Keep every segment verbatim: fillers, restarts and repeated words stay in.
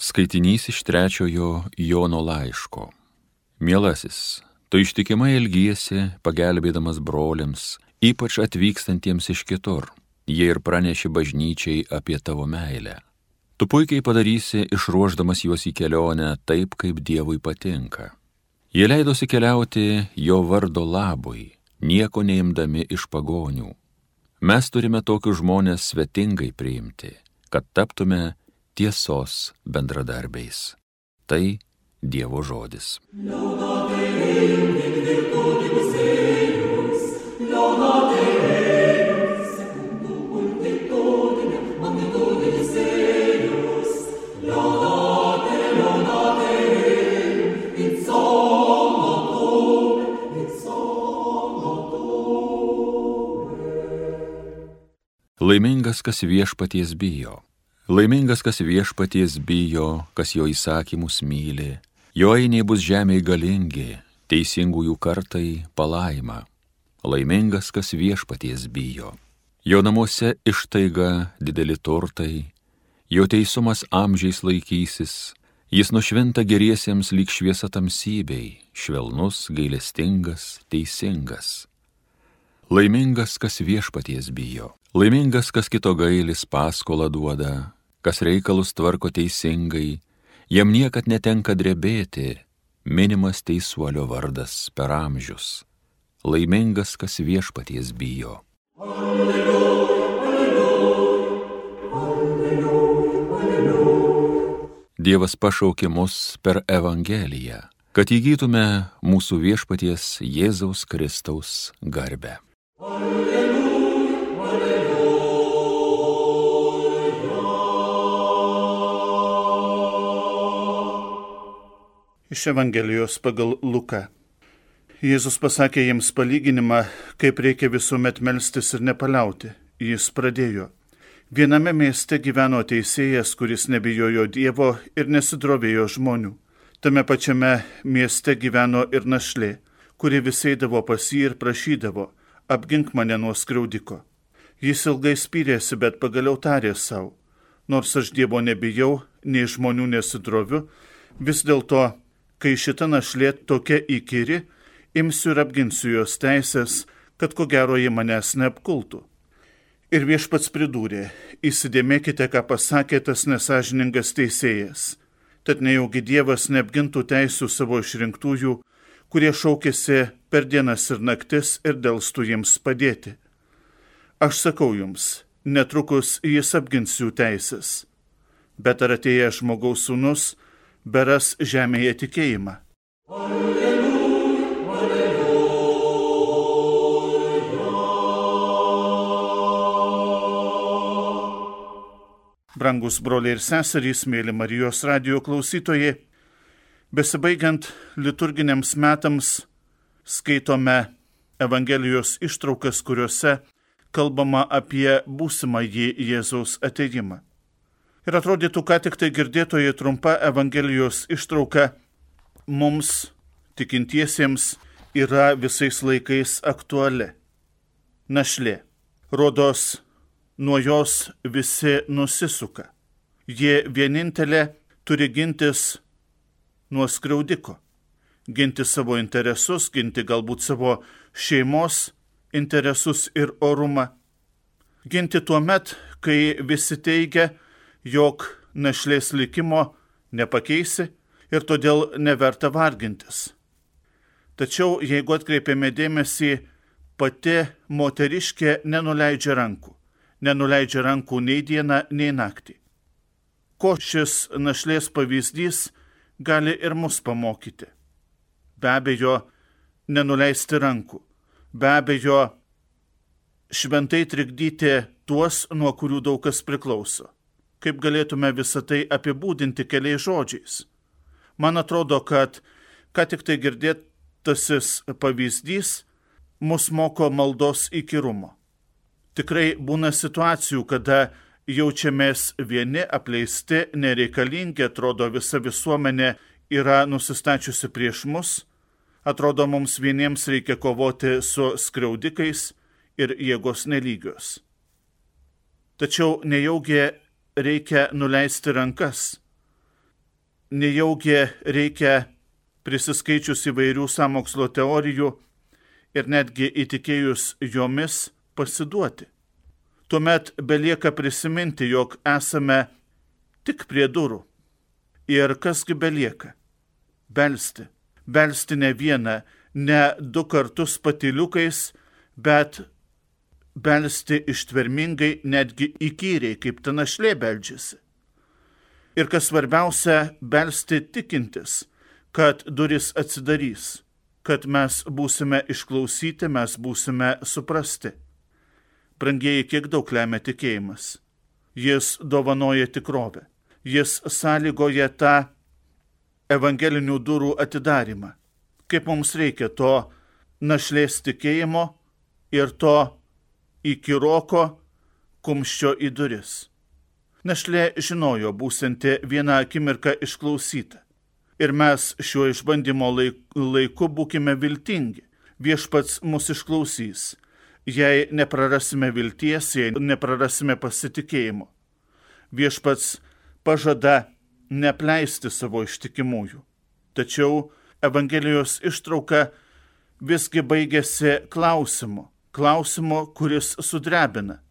Skaitinys iš trečiojo Jono laiško. Mielasis, tu ištikimai elgiesi, pagelbėdamas broliams, ypač atvykstantiems iš kitur. Jie ir praneši bažnyčiai apie tavo meilę. Tu puikiai padarysi, išruošdamas juos į kelionę taip, kaip Dievui patinka. Jie leidosi keliauti jo vardo labui, nieko neimdami iš pagonių. Mes turime tokius žmonės svetingai priimti, kad taptume tiesos bendradarbiais. Tai Dievo žodis. Laimingas, kas viešpaties bijo. Laimingas, kas viešpaties bijo, kas jo įsakymus myli. Jo ainiai bus žemėje galingi, teisingųjų kartai palaima. Laimingas, kas viešpaties bijo. Jo namuose ištaiga dideli turtai, jo teisumas amžiais laikysis, jis nušvinta geriesiems lyg šviesa tamsybei, švelnus, gailestingas, teisingas. Laimingas, kas viešpaties bijo. Laimingas, kas kito gailis paskolą duoda, kas reikalus tvarko teisingai, jam niekad netenka drebėti, minimas teisuolio vardas per amžius. Laimingas, kas viešpaties bijo. Alleluja, alleluja, alleluja, alleluja. Dievas pašaukė mus per Evangeliją, kad įgytume mūsų viešpaties Jėzaus Kristaus garbę. Alleluja. Iš Evangelijos pagal Luką. Jėzus pasakė jiems palyginimą, kaip reikia visuomet melstis ir nepaliauti. Jis pradėjo. Viename mieste gyveno teisėjas, kuris nebijojo Dievo ir nesidrovėjo žmonių. Tame pačiame mieste gyveno ir našlė, kuri vis eidavo pas jį ir prašydavo, apgink mane nuo skriaudiko. Jis ilgai spyrėsi, bet pagaliau tarė savo, nors aš Dievo nebijau, nei žmonių nesidroviu, vis dėlto, kai šita našlė tokia įkyri, imsiu ir apginsiu jos teisės, kad ko gero ji manęs neapkultų. Ir viešpats pridūrė, įsidėmėkite, ką pasakė tas nesąžiningas teisėjas, tad nejaugi Dievas neapgintų teisių savo išrinktųjų, kurie šaukėsi per dienas ir naktis ir delstų jiems padėti. Aš sakau jums, netrukus jis apgins jų teisės, bet ar atėjęs žmogaus sūnus beras žemėje tikėjimą. Alleluja, alleluja. Brangus broliai ir seserys, mėly Marijos radijo klausytojai, besibaigiant liturginiams metams skaitome Evangelijos ištraukas, kuriuose kalbama apie būsimąjį Jėzaus atėjimą. Ir atrodytų, ką tik tai girdėtoji trumpa Evangelijos ištrauka mums, tikintiesiems, yra visais laikais aktuali. Našlė. Rodos, nuo jos visi nusisuka. Jie vienintelė turi gintis nuo skriaudiko. Ginti savo interesus, ginti galbūt savo šeimos interesus ir orumą. Ginti tuo met, kai visi teigia, jog našlės likimo nepakeisi ir todėl neverta vargintis. Tačiau, jeigu atkreipiame dėmesį, pati moteriškė nenuleidžia rankų. Nenuleidžia rankų nei dieną, nei naktį. Ko šis našlės pavyzdys gali ir mus pamokyti? Be abejo, nenuleisti rankų. Be abejo, šventai trikdyti tuos, nuo kurių daug kas priklauso. Kaip galėtume visą tai apibūdinti keliais žodžiais? Man atrodo, kad ką tik tai girdėtasis pavyzdys mus moko maldos įkyrumo. Tikrai būna situacijų, kada jaučiamės vieni, apleisti, nereikalingi, atrodo visa visuomenė yra nusistačiusi prieš mus, atrodo mums vieniems reikia kovoti su skriaudikais ir jėgos nelygios. Tačiau nejaugi reikia nuleisti rankas. nejaugi reikia prisiskaičius įvairių sąmokslo teorijų ir netgi įtikėjus jomis pasiduoti. Tuomet belieka prisiminti, jog esame tik prie durų. Ir kasgi belieka? Belsti. Belsti ne vieną, ne du kartus patyliukais, bet belsti ištvermingai, netgi įkyriai, kaip ta našlė beldžiasi. Ir kas svarbiausia, belsti tikintis, kad duris atsidarys, kad mes būsime išklausyti, mes būsime suprasti. Brangieji, kiek daug lemia tikėjimas. Jis dovanoja tikrovę. Jis sąlygoja tą evangelinių durų atidarimą. Kaip mums reikia to našlės tikėjimo ir to įkyroko kumščio į duris. Našlė žinojo būsinti vieną akimirką išklausyta. Ir mes šiuo išbandymo laiku būkime viltingi. Viešpats mus išklausys. Jei neprarasime vilties, jei neprarasime pasitikėjimo. Viešpats pažada neapleisti savo ištikimųjų. Tačiau Evangelijos ištrauka visgi baigėsi klausimu. Klausimu, kuris sudrebina.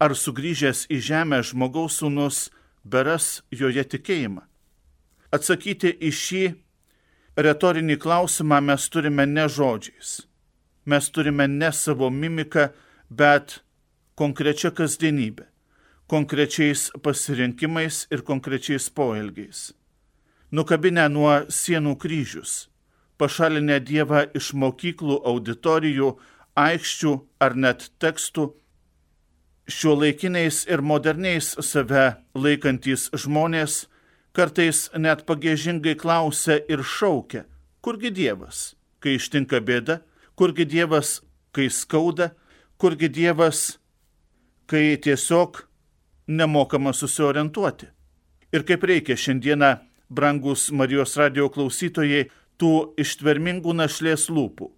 Ar sugrįžęs į žemę žmogaus sūnus beras joje tikėjimą? Atsakyti į šį retorinį klausimą mes turime ne žodžiais. Mes turime ne savo mimiką, bet konkrečią kasdienybę, konkrečiais pasirinkimais ir konkrečiais poelgiais. Nukabinę nuo sienų kryžius, pašalinę Dievą iš mokyklų, auditorijų, aikščių ar net tekstų, šiuolaikiniais ir moderniais save laikantys žmonės kartais net pagiežingai klausia ir šaukia, kurgi Dievas, kai ištinka bėda, kurgi Dievas, kai skauda, kurgi Dievas, kai tiesiog nemokama susiorientuoti. Ir kaip reikia šiandieną, brangus Marijos radijo klausytojai, tų ištvermingų našlės lūpų,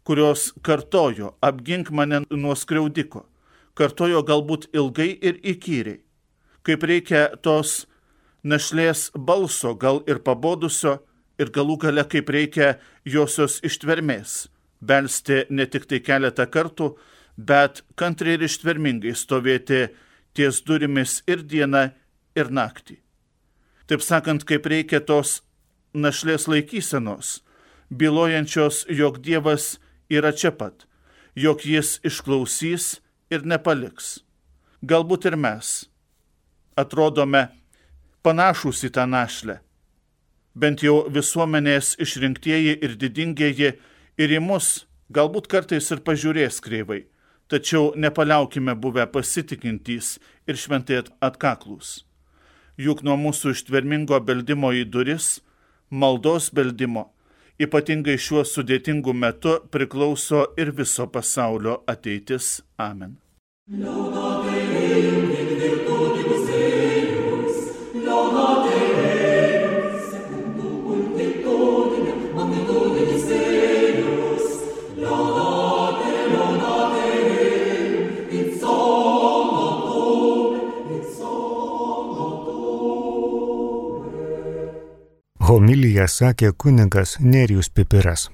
kurios kartojo, apgink mane nuo skriaudiko, kartojo galbūt ilgai ir įkyriai. Kaip reikia tos našlės balso, gal ir pabodusio, ir galų gale kaip reikia josios ištvermės. Belsti ne tik tai keletą kartų, bet kantriai ir ištvermingai stovėti ties durimis ir dieną, ir naktį. Taip sakant, kaip reikia tos našlės laikysenos, bylojančios, jog Dievas yra čia pat, jog jis išklausys ir nepaliks. Galbūt ir mes atrodome panašūs į tą našlę, bent jau visuomenės išrinktieji ir didingieji ir į mus galbūt kartais ir pažiūrės kreivai, tačiau nepaliaukime buvę pasitikintys ir šventai atkaklūs. Juk nuo mūsų ištvermingo beldimo į duris, maldos beldimo, ypatingai šiuo sudėtingu metu priklauso ir viso pasaulio ateitis. Amen. Homiliją sakė kunigas Nerijus Pipiras.